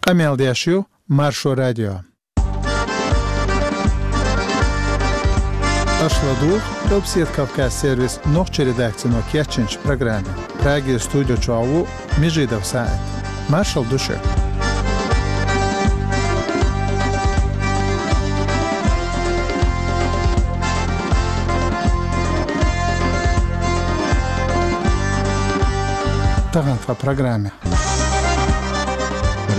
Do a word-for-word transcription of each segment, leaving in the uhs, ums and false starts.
Къамел деш ю Маршо радио. Аша ладугӀу Къилбседа Кавказ сервисан нохчийн редакцино кечйинчу программе. Прагера студи чохь ву Межидов СаӀид. Маршалла ду шуьга. Тахана тхан программе.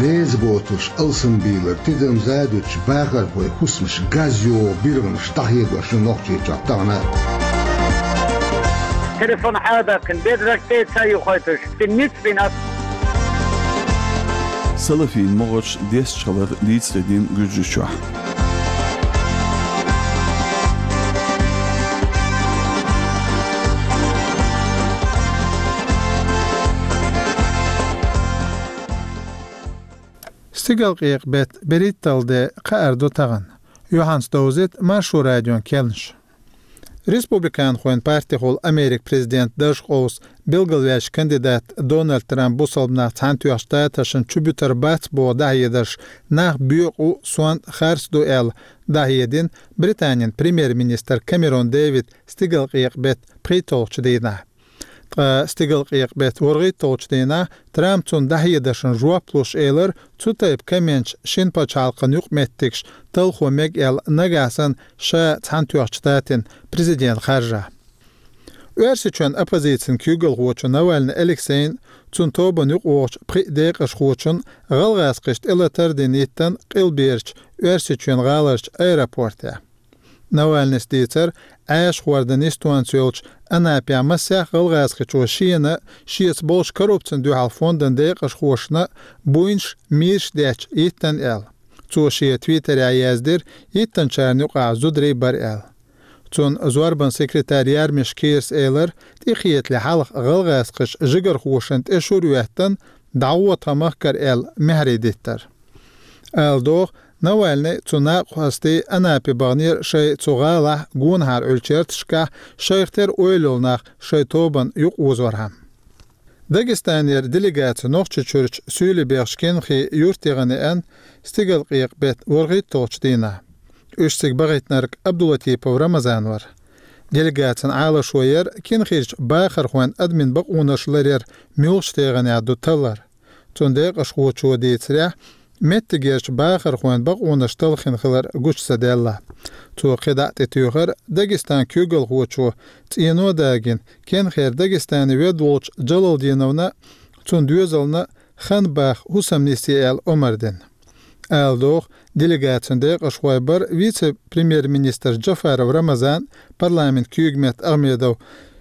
Реза боцурш алсамбийлар, тидам задуьтуш бахархой хӀусамаш газ йогӀу биргӀанаш дӀахьедош ю Нохчийчохь тахана. Телефон Ӏадаккхина, бедраг тӀе ца юхайтуш, цуьнан ницкъ бина ас. Салафийн могӀарш дестачу хилар дийцаре дина Гуьржийчохь. Стигалкъекъа-беттан берхӀитталгӀа де кхаьар ду тахана. Юьхьанца довзуьйту Маршо радион кхаьънаш. Республиканхойн партехула Америкин президентан дарж къовса билгалваьллачу кандидатан Дональд Трампан бусалба нах Цхьаьнатоьхначу Штаташна чубуьтур бац боху дӀахьедарш нах боькъу, сонта, харц ду аьлла дӀахьедина Британин премьер-министра Камерон Дэвида стигалкъекъа-беттан пхийтталгӀачу дийнахь. Ткъа стигалкъекъа-беттан ворхӀитталгӀачу дийнахь Трампа цунна дӀахьедаршна жоп луш элира, цу тайпа комменташ шина пачхьалкхан юкъаметтигаш талхо мега аьлла, нагахь санна ша Цхьаьнатоьхначу Штатийн президент харжахь. Оьрсийчоьнан оппозицин куьйгалхочо Навальный Алексейна, цуьнан тобанна юкъавогӀучу пхи декъашхочунна гӀалгӀазкхашна тӀелатар дина йиттина къилберачу Оьрсийчоьнан гӀаларчу аэропортехь. Навальныйс дийцира, Ӏаьржа хӀордан йистонца йолчу Анапехь массех гӀалгӀазкхичо шена а, шеца болчу коррупцина дуьхьал фондан декъашхошна а буйнаш, мийраш детташ йиттина аьлла. Цо шен твиттерехь яздира, йиттинчарна юкъахь зударий бара аьлла. Цуьнан зорбанан секретарь Ярмиш Кирас элира, тӀекхетале хьалха гӀалгӀазкхаша жигархошна тӀе шура хӀоьттина, дӀагӀо тхан махкара аьлла, маьхьарий диттар. Ала догӀу, Навальный, цуьнан накъостий Анапе баханера шайн цу гӀалахь гонахьара Ӏуьллучу ярташкахь шайх тера ойла йолу нах шайн тобанна юкъаозорхьама. Дагестанера делегаци Нохчийчуьрчу суьйлабехачу Кенхи юьртахь яхана стигалкъекъа-беттан ворхӀитталгӀачу дийнахь. Уьш цига бахийтинарг Абдулатипов Рамазан вара. Делегацин Ӏалашо яра Кенхирчу бахархойн адамийн бакъонаш ларъяр муьлхачу тайпанехь ду таллар. Цуьнан декъашхочо дийцарехь, меттигерчу бахархойн бакъонаш талхийна хилар гучу ца даьлла. Цо кхидӀа а тӀетуьйхира, Дагестанан куьйгалхочо цӀено а дагийна, Кенхера Дагестане ведда волчу Джалалдиновна а, цуьнан доьзална а хан баха хӀусамнисъе аьлла омра дина. Ала догӀу, делегацин декъашхой бара вице-премьер-министр Джафаров Рамазан, парламентан куьйгаметта Ахмедов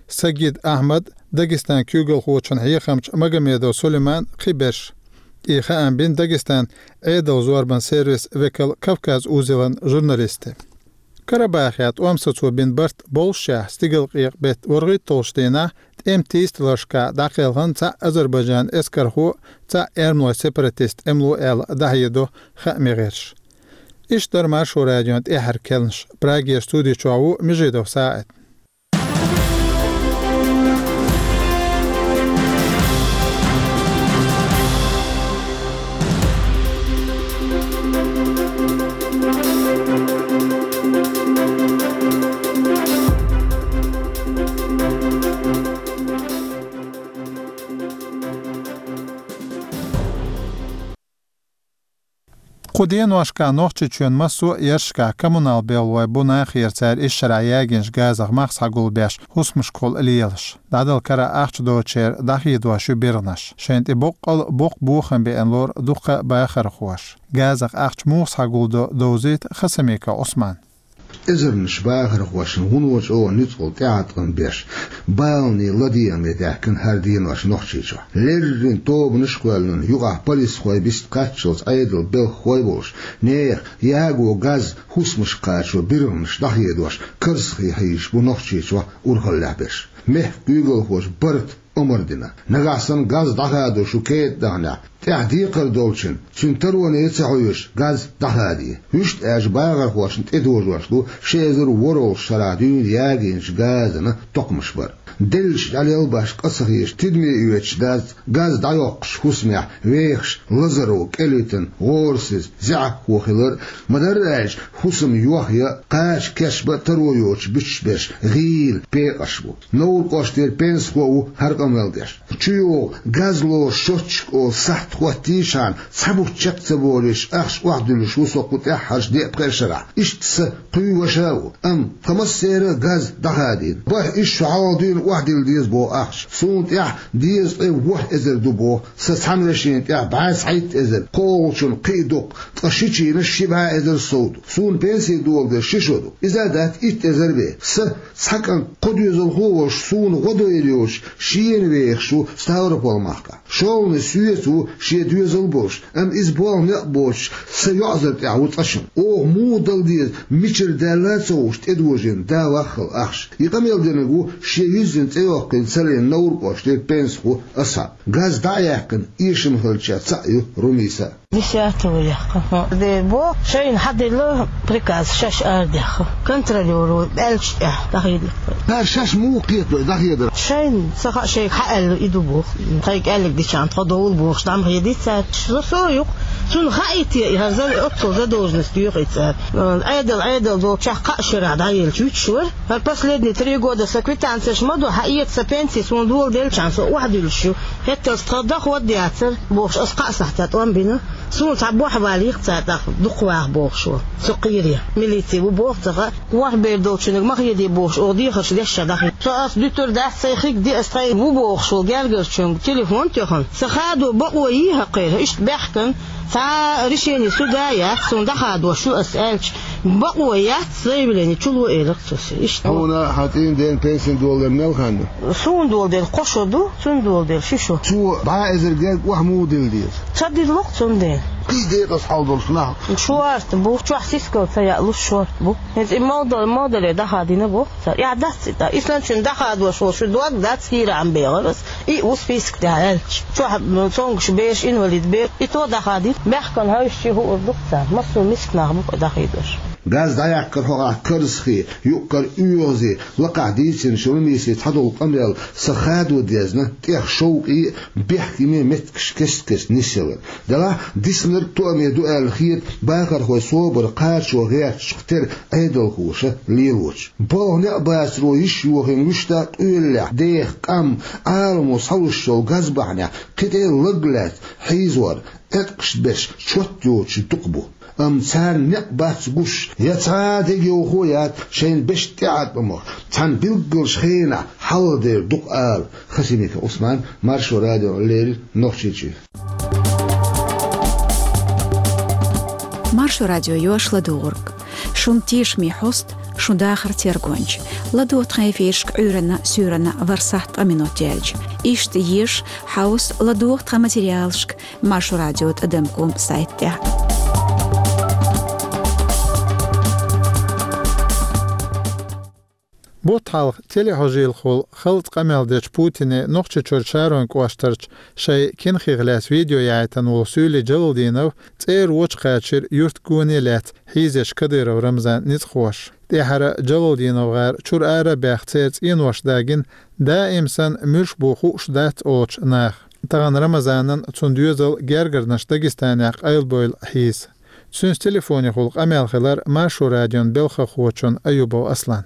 Сагид Ахьмад, Дагестанан куьйгалхочун хьехамча Магомедов Сулейман, кхиберш. И хаам бина Дагестанан Ӏедалан зорбанан сервисан векал Кавказ узелан журналисте. Карабахехь тӀом сацо бина барт боллушехь, стигалкъекъа-беттан ворхӀитталгӀачу дийнахь тӀеман тийсадаларшкахь дӀакхелхина цхьаъ Азербайджанан эскархо, цхьаъ эрмалойн сепаратист тӀемало аьлла дӀахьедо хааман гӀирсаша. Иштта дара Маршо радион тӀаьххьара кхаьънаш. Прагера студи чохь ву Межидов СаӀид. Кху деношкахь Нохчийчоьнан массо а ярташкахь коммунал белхалой бу нахера цара ишшарахь ягийначу газах мах схьагулбеш хӀусамашкахула лелаш. ДӀадала карахь ахча доцучеран дӀахедош ю биргӀанаш. Шайна тӀе боккъал а боккха бохам беана лору дуккха а бахархоша. Газах ахча муха схьагулдо, довзуьйту Хасамиков Ӏусмана. Эзарнаш бахархошна вуно чӀогӀа ницкъала тӀеӀаткъам беш, баланийн ладегӀаме даьхкина хӀара денош Нохчийчохь. Леррина тобанаш а кхоьллина, юкъахь полисхой биста кхаччалц Ӏедалан белхахой а болуш, нехан яго газ хӀусамашка кхачо биргӀанаш дӀахедош, карзахе хьийзаш бу Нохчийчохь урхаллехь берш. Мехкан куьйгалхоша барта омра дина. Нагахь санна газ дӀахадо шу кетӀа даханехь, тӀехь декхар долчунна, цуьнан тароне а ца хьоьжуш, газ дӀахаде. Вуьшта аьлча бахархошна тӀедожош ду ши эзар ворхӀалгӀачу шарахь дуьйна ягийначу газана токхамаш бар. Деллачу дӀалелбаш къа ца хеташ, тидаме оьцуш дац газ дӀайоккхучу хӀусамехь вехаш Лазаров КӀелвитан гӀорасиз, зӀе хьо хилар а. Ма-дарра аьлча, хӀусам йохъян а, кхача кечбан а таро йоцуш буьтуш берш гӀийла пекъарш бу. Невран кӀоштара пенсахо ву хӀара къамел деш. ЧуйогӀу газ лоруш счётчик олу сахьт хӀоттийчхьана, цхьа бутт чекх ца болуьйтуш, ахча охьадуьллуш ву со кху тӀаьххьарчу деа-пхеа шарахь. Иштта сан кхуьй ваша а ву, амма тхан массеран а газ дӀахадийна. БархӀ исс шо хьалха дуьйна охьадилла деза боху ахча. Суна тӀехь дезткъе ворхӀ эзар ду боху, сан цхьана вешина тӀехь бӀе цхьайтта эзар, кхоалгӀачунна кхин а дукха, ткъа шичийнан ши бӀе эзар сов ду. Суна пенси доладелла ши шо ду. Иза а дац итт эзар бен. Сан цхьа кӀант кхо доьзалхо а волуш, суна гӀо дойла йоцуш, шена вехаш ву Ставрополь-махкахь. ШолгӀаниг соьца ву, шен доьзал а болуш, амма иза болх-некъ боцуш, сан йоӀзар тӀехь ву цкъачунна. Оха муха дала деза, мичара даьлла а ца хууш, тӀедожийна да ваххал ахча. И къамел динарг ву шен юьззина цӀе йоккхийна ца лиъна Невран кӀоштара пенсахо Асхьаб. Газ дӀа а яьккхина, эшам хиллачех цхьаъ ю Румиса. Десятого яьккхина. Де бо, шайна хьаделла приказ, шаьш арадаьхна. Контролёро аьллачу тӀехь дӀахийна. Цара шаьш муха кхета вай дӀахедар? Шайна ца хаьа, шайга хьааьлла и ду боху. Тхайга аьлларг дичахьана тхо довла бохуш, дӀа ма хедий цара. Со, со юкъа. Цунна хаьий те, и хӀара за-, оццул задолженность доьху и цара. Ӏедал, Ӏедал долчохь кхаа шарахь дӀаелча вуьтуш вара. ХӀара последние три года сан квитанцеш ма ду, хьаэца сан пенси, суна доладеллачхьана со охьадуьллуш ю. ХӀетталц тхан доход яцара, бохуш, аса кхаа сахьтехь тӀом бина. Суна цхьа бохь валийта цара тӀаккха дукха ваха бохуш ву. Со кхийрий, милици ву боху ца хаьа. ВорхӀ бер долчунга ма хедий бохуш, оха дехарш деш ша дӀахийна. Со ас дуьтур дац, сайн хиг де ас тхайн ву бохуш волу гергарчуьнга телефон тоьхна. Сан хадо бакъо йий хӀокхеран, иштта баьхкина, цхьа решение суда а яц, суна дӀахадош ю ас аьлча, бакъо яц, заявление чуло элира цо соьга. Иштта. Хьуна хьан цӀийнан дена пенсина доладар мел хан ю? Суна доладелла кхо шо ду, цунна доладелла ши шо. Цо бӀе эзар герга охьа муха дилла деза? Ца дилло-кх цундела. Кхин декъаза хьал долуш нах. Шорта бу, чохь сискал ца яалуш шорта бу. ХӀинца и молдал-, молдале дӀахадийна боху цара. Яа дац и тӀа. Исландчун дӀахадош волу шу дог дац, хӀиран бегӀар ас. И ву список тӀехь аьлча. Чохь, м, цомгуш бераш, инвалид бер. И то дӀахадийна. Баьхкина хьаьвсича хуур ду-кх царна. Массо миска нах бу-кх дӀахийдош. Газ дӀаяккхар хьо ахь Карзахе, юккъара оьгӀазе, лакхахь дийцинчу Румисе цхьадолу къамел сан хадо дезна, тӀех шовкъе а, бехке а меттигаш кест-кеста нисъялар. Делахь диснарг тоаме ду аьлла хета бахархой собар кхачо гӀертачу тера Ӏедалхоша лелочу. Балха некъ бацаро йиш йохийна вуьшта къоьллехь, деха къам, Ӏаламо схьалуш йолу газ бахьанехь кхин тӀе а лаг лаьцна хьийзор, эткъаш берш чот йоцуш дукха бу. Амма царна некъ бац гуш, я цхьа а дегайовхо яц шайна беш тӀеӀаткъамах, цхьана билггалчу хенахь хьалха дер дукха ала. Хасимиков Ӏусман, Маршо радиона леррина Нохчийчуьра. Маршо радио йош ладугӀург. Шун тешаме хьост, шун дахар тергонча. ЛадогӀа тхан эфиршка Ӏуьйранна, суьйранна ворхӀ сахьт ткъа минот яьлча. Иштта еза, хьовса, ладогӀа тхан материалшка Маршо радио тӀадам ком сайт тӀехь. Бутт хьалха телехьожийлахула халаца къамел дечу Путине Нохчийчуьра Шаройн кӀоштарчу шайн кинхех лаьцна видео яхьийтина волу Суьйли Джалалдинов цӀера вочу кхачийра юьртан гоне лаьцна хьийзечу Кадыров Рамзанан ницкъахоша. ТӀаьхьара Джалалдинов гӀар чуьра ара а баьхна церан цӀенош дагийна, даим санна муьлш бу хууш дац олучу наха. Тахана Рамзанан, цуьнан доьзалан гергарнаш Дагестанехь къайлабевлла хьийза. Цуьнца телефонехула къамел хилира Маршо радион белхахочун Аюбов Асланан.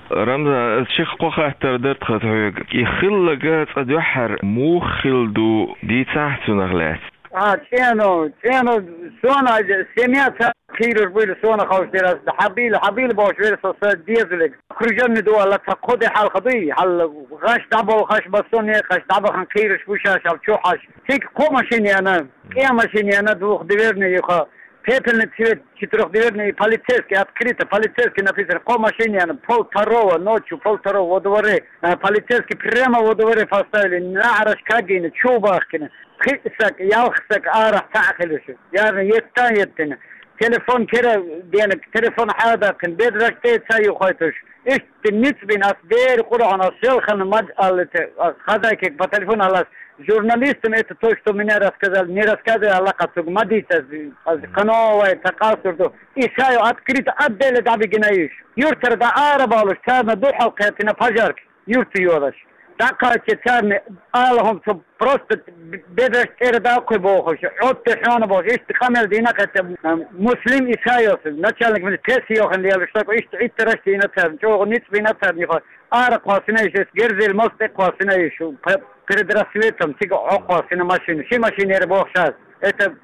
Рамзан, ас шех кхо хаттар дара тхан хьоьга. И хилларг цкъа дуьххьара муха хилла ду, дийцахьа цунах лаьцна. А, цӀено, цӀено, сона а, семья ца кхийраш буйла, сона ховш дерас, хьабийла, хьабийла бохуш вера со сан дезалиг. Окружённый ду аьлла, цхьа кхо де хьалха дуй, хьал гӀаш дӀаболхаш, бассоне гӀаш дӀабахана кхийраш бу шаьш, хьал чу хьаш. Цига кхо машина яна, кӀен машина яна, двухдверный юха, пепельный цвет, четырёхдверный, полицейский, открыто, полицейский написано, кхо машина яна, пол второго ночью, пол второго во дворе, э, полицейский прямо во дворе поставили, наӀараш кагийна, чу бахкина. Пхиъ саг, ялх саг арахь цхьаъ хилуш. Ярна еттан еттина. Телефон кера денаг, телефон хьадаккхина, бедраг тӀе ца юхайтуш. Иштта ницкъ бина ас дера Къуръан, ас селхана мад аллита, ас хазайкек по телефону аллас. Журналистам это то, что меня рассказали, не рассказывай Аллах ацуг, мадица, ас кановай, та къасур ду. И шаю открыто отделе дабигина иш. Юртара да ара балуш, царна духьал кхетина пожарки. юрта йолаш. ДӀакхача царна ала хӀума цо просто б-, бедраш тӀера даккхой бохуш, Ӏотта хьона бохуш, иштта къамел дина кхетта, м, Муслим Исайос, начальник милиции, йохан лелаш, так иштта Ӏиттараш дина царна, чӀогӀа ницкъ бина царна, йохан, ара кхоссина иш, эс герзел мост тӀе кхоссина иш, п-, перед рассветом цига Ӏо кхоссина машина, ши машина яра бохуш аз. Это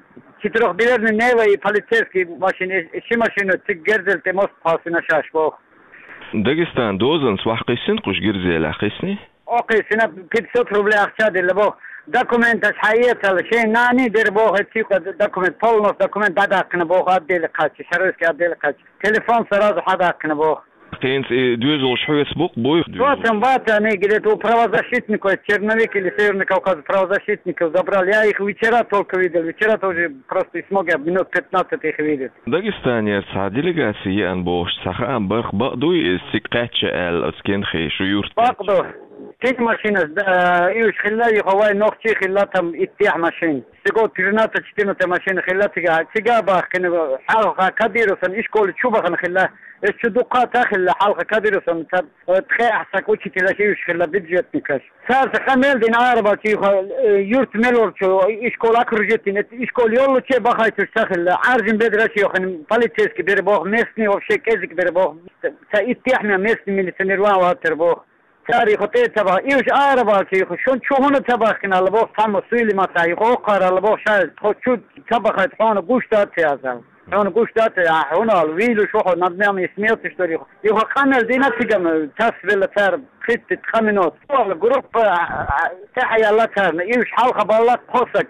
четырёхдверный Нива и полицейский машина, э, ши машина цига герзел тӀе мост кхоссина шаьш боху. Дагестан дозанца вахь кхиссина кхуш гирзелахь кхиссни? О, кхиссина, пятьсот рублей ахча дилла боху. Документаш хьаэцала, шайн нани дера боху, эцци юкъа документ, полностью документ дӀадаккхина боху, отделе кхаччи, Шаройский отделе кхаччи. Телефон сразу хьадаккхина боху. ХӀинца и доьзалш хьоьца бу-кх, буй? Потом баца, они говорят, у правозащитников, Черновик или Северный Кавказ, правозащитников забрали. Я их вчера только видел, вчера тоже просто и смог я минут пятнадцать их видеть. Дагестанера цхьа делегаци еана бохуш цхьа хаам бара-кх, бакъ дуй иза цига кхаьчча аьлла оцу кенхи шу юрт? Бакъ ду. Кхин машинаш, да, уьш хилла, юха вай нохчий хилла, там иттех машин. Стегов тринадцать-четырнадцать машина хилла цига, цига бахкина, хьалха Кадыровсан ишколе чу бахана хилла. Эс чу дуккха а ца хилла, хьалха Кадыровсан ца, э, ткъе ахь саг учителаш уьш хилла, бюджетникаш. Царца къамел дина арабалча юха, э, юрт мел волчу ишкол окружить дина, ишкол йоллуче бахайтуш ца хилла. Аржин бедраш йохина, полицейский бер боху, местный вообще кӀезиг бер боху. Ца иттех мя местный милиционер ван ватар боху. Цара юха тӀе ца баха, и уьш арабалча юха, шун чу хӀуна ца бахкина аьлла боху, цхьамма суйли ма ца, юха оккхара аьлла боху, ша тхо чу ца бахайта хьуна гуш дац язал. Хьуна гуш дац, а хьуна аьлла, вийлуш ву хьо, над нами смеёташ дара юха. Юха къамел дина цигана, тасвелла цара, хитти ткъа минут. Валла группа, а, а, тӀехьа яьлла царна, и уьш хьалха балла кхо саг.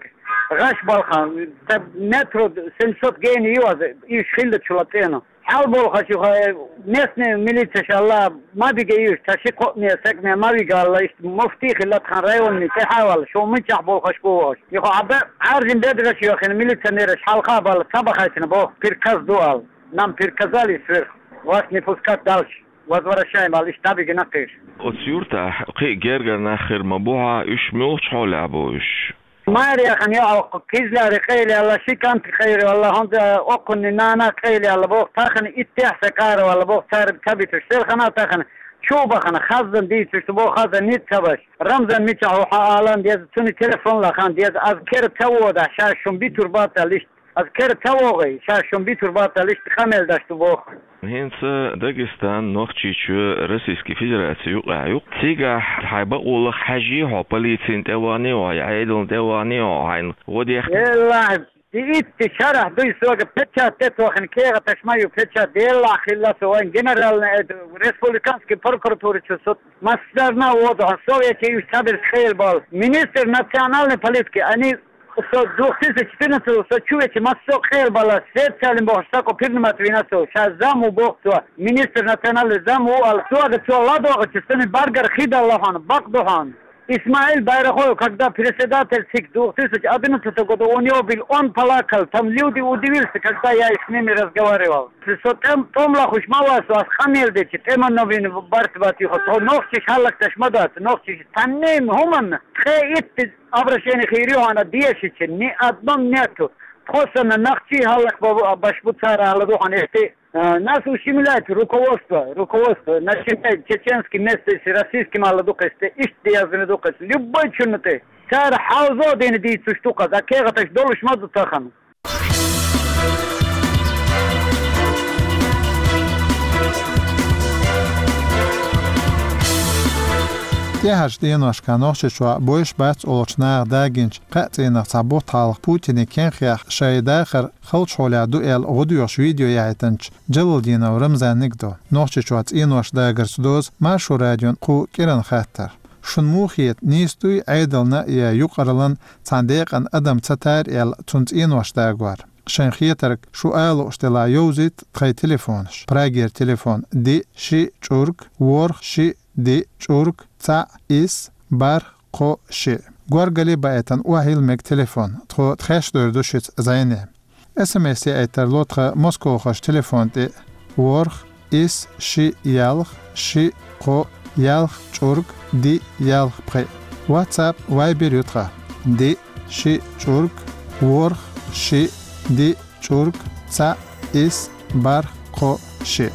ГӀаш балхан, ца метро семьсот гени ю аза, и уьш хилла чула цӀена. Хьал болхаш юха, э, местный милицеш аьлла, ма бига уьш, ца ши-кхоъ мер саг мер ма вига аьлла, иштта муфти хилла тхан районный тӀехьа валла, шу мичахь болхаш бу ваш. Юха Ӏаба, Ӏаржин бедраш йохина милиционераш хьалха балла, ца бахайтина боху, приказ ду аьлла. Нам приказали сверху, вас не пускать дальше. Возвращаем аьлла, иштта дӀабигина кхиш. Оцу юртахь кхин а гергара нах хир ма бу хьа, уьш муьлхачу хьолехь бу уьш? Маре яхана йоӀ, кхо кизляри къайлаьлла, ши кӀант къайлаьлла, хӀунда оккхунна нана къайлаьлла боху, тахана иттех сан къаравалла боху, цара ца битуш, селхана тахана чу бахана, хаздан дийцуш ду боху, хаздан ницкъ ца баш. Рамзан мичахь ву хьан алан деза, цуьнан телефон лахан деза, аз кера ца вода, ша шун битур бацал иштта, аз кера ца вогӀий, ша шун битур бацал иштта, къамел даш ду боху. ХӀинца Дагестан Нохчийчоь Российский Федераци юкъахь ю. Цигахь хьайн бакъолах хьаьжий хьо, полицин тӀе вахний хьо, я Ӏедална тӀе вахний хьо, хьайна гӀо дехна? Еллахь, и итти шарахь дуй сога печать тӀе тохина, кехаташ ма ю печать, еллахь хилла со вайн генеральный, э, республиканский прокуратура чу со массарна а воду хьан, со вече уьш цабирс хъелбал. Министр национальной политики, они Со две тысячи четырнадцатого со чу веча массо а къелбала, специально бохуш, сако принимать вина со, ша зам ву боху цо, министр национальный зам ву аьлла, цо ага цо ладогӀачу сани баргара хи далла хьуна, бакъ ду хьуна. Исмаил Байрахоев, когда председатель ЦИК две тысячи одиннадцатого года, у него был, он плакал, там люди удивился, когда я с ними разговаривал. Со тӀем-, тӀом лахуш ма вай со, ас къамел дечи, тӀеман новин барт бат юха, тхо нохчиш хьаллакташ ма дац, нохчиш танним хӀуманна, ткъе итт обращение хийри хьуна дешича, ни одном нету. Тхо санна нахчий хьаллакбаш бу цара ала ду хьуна эшти. Э, нас ущемляет руководство, руководство, начиная чеченский местный, российский мала ду кхесте, ишт диязна ду кхесте, любой чунна тӀе. Цара хьалзо дина дийцуш ду кхаза, кехаташ долуш ма ду тахана. ТӀаьхьарчу деношкахь Нохчийчохь бойуш бац олучу наха дагийначу кхаа цӀийнах цхьа бутт хьалха Путине кенхех шайн дахар халчу хьолехь ду аьлла гӀо доьхуш видео яхьийтинчу Джалалдинов Рамзаниг ду Нохчийчохь цӀенош дагарца доза Маршо радион кху кӀиран хаттар. Шуна муха хета, нийса дуй Ӏедална я юкъараллан цхьана декъан адам ца тайра аьлла цунна цӀенош дагор? Шайн хетарг шу ала лууш делахь йовзийта тхайн телефонаш. Прагера телефон: диъ, шиъ, чӀург, ворхӀ, шиъ, диъ, чӀург, цхьаъ, исс, бархӀ, кхоъ, шиъ. Горгали баийтина охьайилла мега телефон. Тхо тхаьш дойр ду шуьца зӀене. СМС яийтар ло тхан Москохарчу телефон тӀе: ворхӀ, исс, шиъ, ялх, шиъ, кхоъ, ялх, чӀург, диъ, ялх, пхиъ. WhatsApp, Viber ю тхан: диъ, шиъ, чӀург, ворхӀ, шиъ, диъ, чӀург, цхьаъ, исс, бархӀ, кхоъ, шиъ.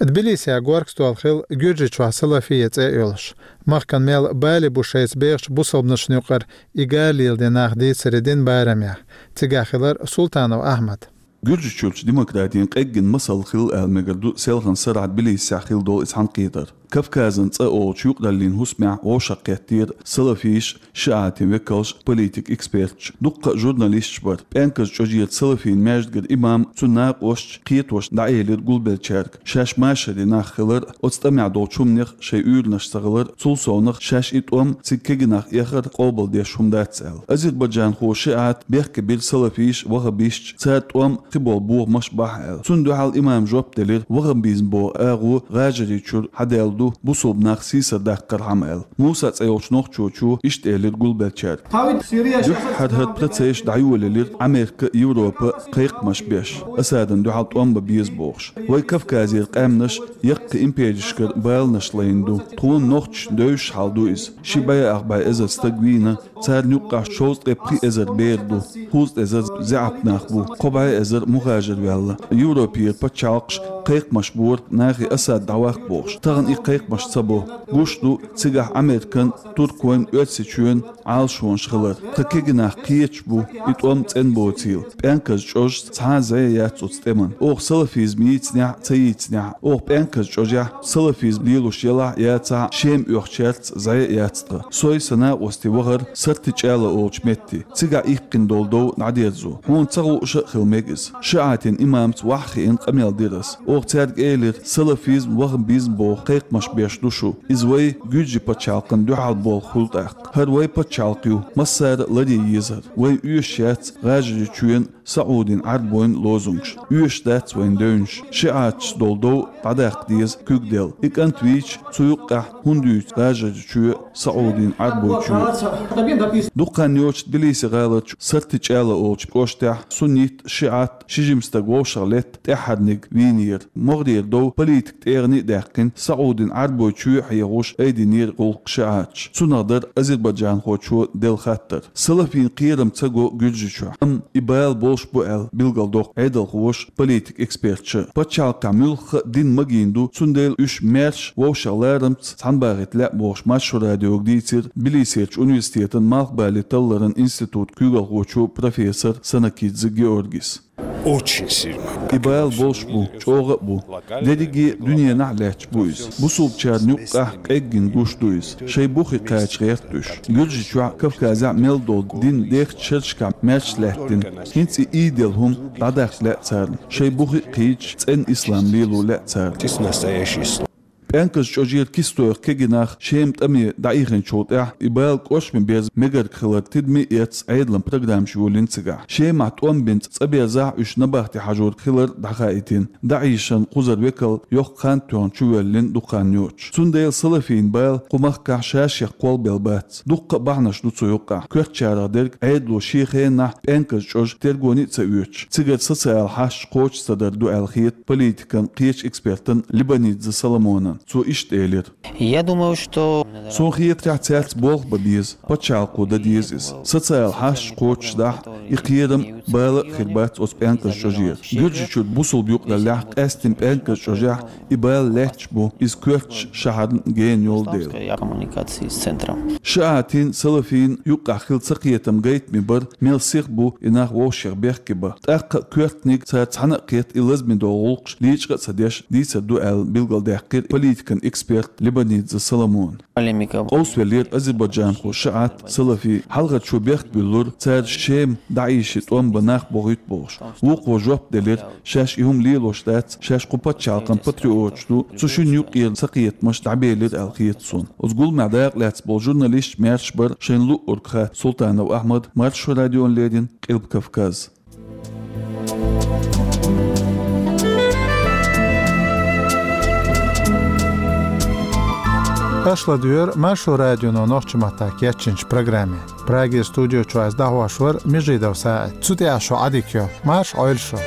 Тбилисехь горга стол хилла Гуьржийчохь салафия цӀе а йолуш. Махкана мел бале бу шайца бехачу бусалбанашна юкъара и гала леладен нах дийцаре дина барамехь. Цигахь хилира Султанов Ахьмад. Гуьржийчуьрчу демократин къеггина масал хилла аьлла мегар ду селхана сарахь Тбилисехь хилла долу и цхьаьнакхетар. Кавказан цӀа олучу юкъараллин хӀусамехь вовшахкхеттера салафиш, шиӀатийн векалш, политик эксперташ, дуккха а журналисташ бара. ПӀенказ чӀожерчу салафийн маьждигара имам, цуьнан накъосташ, кхетош дӀаэлира гулбеллачаьрга. Шаьш машаре нах хилар, оцу тӀамехь долчу хӀуманех шайн уьйранаш ца хилар, цул совнаха шаьш и тӀом цига кегийнах эхар къобалдеш хӀума дац аьлла. Азербайджанхо шиӀат бехке бира салафиш, ваххабисташ, цара тӀом кхиболу бохамаш бахьа аьлла. Цунна дуьхьал имама жоп делира, ваххабизм боху агӀо ГӀажарийчуьра хьадаьлла ду, бусалба нах сийсаздаккхархьама аьлла. Муса цӀе йолчу нохчочо иштта элира гулбеллачаьрга. Дуьххьара хӀара процесс дӀайолаелира Америка, Европа кхайкхамаш беш, Асадана дуьхьал тӀом бан беза бохуш. Вай Кавказера къаьмнаш яккхий империшкара баланаш лайна ду. Тхуна нохчашна девзаш хьал ду иза. Ши бӀе ах бӀе эзар стаг вийна, царна юккъехь шовзткъе пхи эзар бер ду, кхузткъе эзар заьӀап нах бу, кхо бӀе эзар мухажир ваьлла. Европера пачхьалкхаш кхайкхамаш бора нахе Асад дӀаваккха бохуш. Тахана и кхайкхамаш ца бо. Гуш ду, цигахь Американ, Туркойн, Оьрсийчоьнан Ӏалашонаш хилар. Тхан кегийнах кхеташ бу и тӀом цӀена боцийла. ПӀенказ чӀожаца цхьа а зӀе яц оцу тӀеман. Оха салафизм йийцинехь а, ца йийцинехь а, оха пӀенказ чӀожехь салафизм лелош елахь а, яцахь а, Шема оьхучаьрца зӀе а яц тхан. Сой, сан накъостий вахара Сартичала олучу метте. Цигахь иккхина долу дов дӀадерзо. Хьуна ца хууш а хила мега иза. ШиӀатийн имамца ваха хиъна къамел дира ас. Оха цаьрга элира, салафизм, ваххабизм боху кхайкхамаш беш ду шу. Иза вай, гуьржийн пачхьалкхана дуьхьал болу хуьлу тӀаккха. ХӀара вай пачхьалкх ю, массара а ларъян езара. Вайна оьшуш яц ГӀажарийчоьнан, СаӀудийн Ӏаьрбойн лозунгаш. Оьшуш дац вайна девнаш. ШиӀаташца долу дов дӀадаккха деза куьг делла. И кӀант вийча, цу юккъехь хӀунда юьйцу ГӀажарийчоь, СаӀудийн Ӏаьрбойчоь? Дукха хан йоцуш Тбилиси гӀаларчу Сартичала олучу кӀоштехь суннит, шиӀат, ши жима стаг вовшах летта тӀаьххьарниг вийнера. МогӀарера дов политикан тӀегӀане а даьккхина, СаӀудийн Ӏаьрбойчоь а хьехош айдинера гӀуллакх шиӀаташа. Цунах дара азербайджанхочо делла хаттар. Салафийн кхерам ца го Гуьржийчохь. Амма и бала болуш бу аьлла билгалдоккху Ӏедалхоша, политик эксперташа. Пачхьалкхехь муьлхха а дин магийна ду, цундела уьш маьрша вовшах ларамца цхьаьнабахийта лаьа бохуш, Маршо радиога дийцира Тбилисерчу университетан малхбале талларан институтан куьйгалхочо, профессор Санакидзе Георгис. Очень сильно. И бала болуш бу, чӀогӀа а бу. Дерриге а дуьненахь а лаьтташ бу иза. Бусалбачарна юккъехь къеггина гуш ду иза. Шайн бухе кхача гӀерта уьш. Гуьржийчохь а, Кавказехь а мел долу дин дехачу шерашкахь маьрша лаьттина. ХӀинца и ийделла хӀума дӀадаккха лаьа царна. Шайн бухе а кхийдаш, цӀена ислам лело лаьа царна. Ты настоящий ислам. ПӀенказ чӀожера кистойх кегийнах Шема тӀаме дӀаихинчул тӀаьхьа и бала кӀошми берза мегарг хилар тидаме а эцна, Ӏедалан программаш йолийна цигахь. Шемахь тӀом бинчу цӀа берзахь а уьш набахте хьажорг хилар дӀахаийтина. ДАИШан кхузара векал йоккха хан тоьхна чувоьллина дукха хан йоцуш. Цундела салафийн бала кху махкахь ша-шех кхолбелла бац. Дуккха а бахьанаш ду цу юккъехь. Коьртачарах дерг Ӏедало шен хенахь пӀенказ чӀожа тергоне а ца оьцуш, цигара социал хьашташ кхочуш ца дар ду аьлла хета политикан кхечу экспертан Либанидзе Соломонан. Цо иштта элира. Я думаю, что... Суна хетарехь, цаьрца болх бан беза, пачхьалкхо дан деза иза. Социал хьашташ кхочушдахь, и кхерам, бала а хир бац оцу пӀенказ чӀожера. Гуьржийчуьра бусалба юкъараллехь къаьсттина пӀенказ чӀожехь и бала лаьтташ бу, иза коьртачу шахьарна гена йолу дела. Коммуникации с центром. ШиӀатийн, салафийн юккъехь хилла цакхетам гайтаме бара, мел сиха бу и нах вовшех бехке бан. ТӀаккха а коьртаниг цара цхьаьна а кхетта, и лазаме долу гӀуллакхаш лечкъа а ца деш дийцар ду аьлла билгалдаьккхира политикан эксперт Либанидзе Соломона. Къовсавеллера азербайджанхо шиӀат, салафи. Хьалхарчо бехк буьллура, цара Шема ДАИШе тӀом бан нах бохуьйту бохуш. Вукхо жоп делира, шаьш и хӀума лелош дац, шаьш кху пачхьалкхан патриоташ ду, цу шинна юккъера цакхетамаш дӀабелира аьлла хета суна. Оцу гуламехь дакъа лаьцна болу журналисташ маьрша бара шайна луъург хатта. Султанов Ахьмад, Маршо радиона леррина, Къилба Кавказ. Аша ладуьйгӀира Маршо радионо нохчийн маттахь кечйинчу программе. Прагера студио чохь ас дӀахьош вара Межидов СаӀид. Цу тӀехь шун Ӏадика йо. Марша Ӏойла шу.